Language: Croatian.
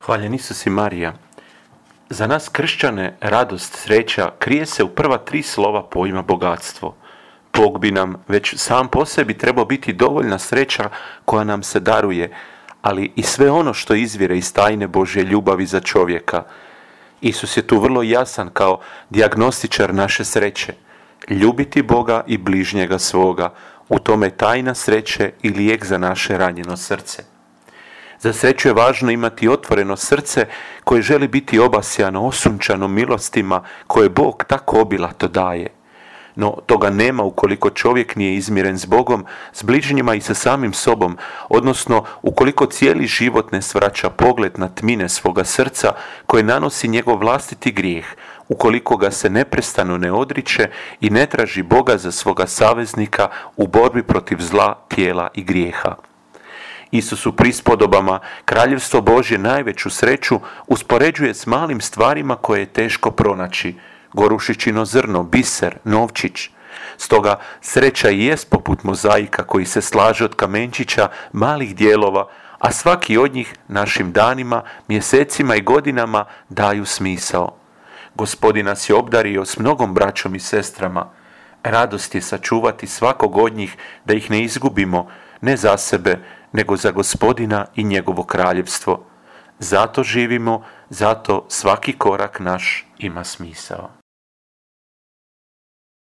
Hvaljen Isus i Marija. Za nas kršćane radost, sreća krije se u prva 3 slova pojma bogatstvo. Bog bi nam već sam po sebi trebao biti dovoljna sreća koja nam se daruje, ali i sve ono što izvire iz tajne Božje ljubavi za čovjeka. Isus je tu vrlo jasan kao dijagnostičar naše sreće. Ljubiti Boga i bližnjega svoga, u tome tajna sreće i lijek za naše ranjeno srce. Za sreću je važno imati otvoreno srce koje želi biti obasjano, osunčano milostima koje Bog tako obilato daje. No toga nema ukoliko čovjek nije izmiren s Bogom, s bližnjima i sa samim sobom, odnosno ukoliko cijeli život ne svraća pogled na tmine svoga srca koje nanosi njegov vlastiti grijeh, ukoliko ga se neprestano ne odriče i ne traži Boga za svoga saveznika u borbi protiv zla, tijela i grijeha. Isus u prispodobama Kraljevstvo Božje najveću sreću uspoređuje s malim stvarima koje je teško pronaći, gorušičino zrno, biser, novčić. Stoga sreća i jest poput mozaika koji se slaže od kamenčića malih dijelova, a svaki od njih našim danima, mjesecima i godinama daju smisao. Gospodin nas je obdario s mnogom braćom i sestrama. Radost je sačuvati svakog od njih da ih ne izgubimo, ne za sebe, nego za Gospodina i njegovo kraljevstvo. Zato živimo, zato svaki korak naš ima smisao.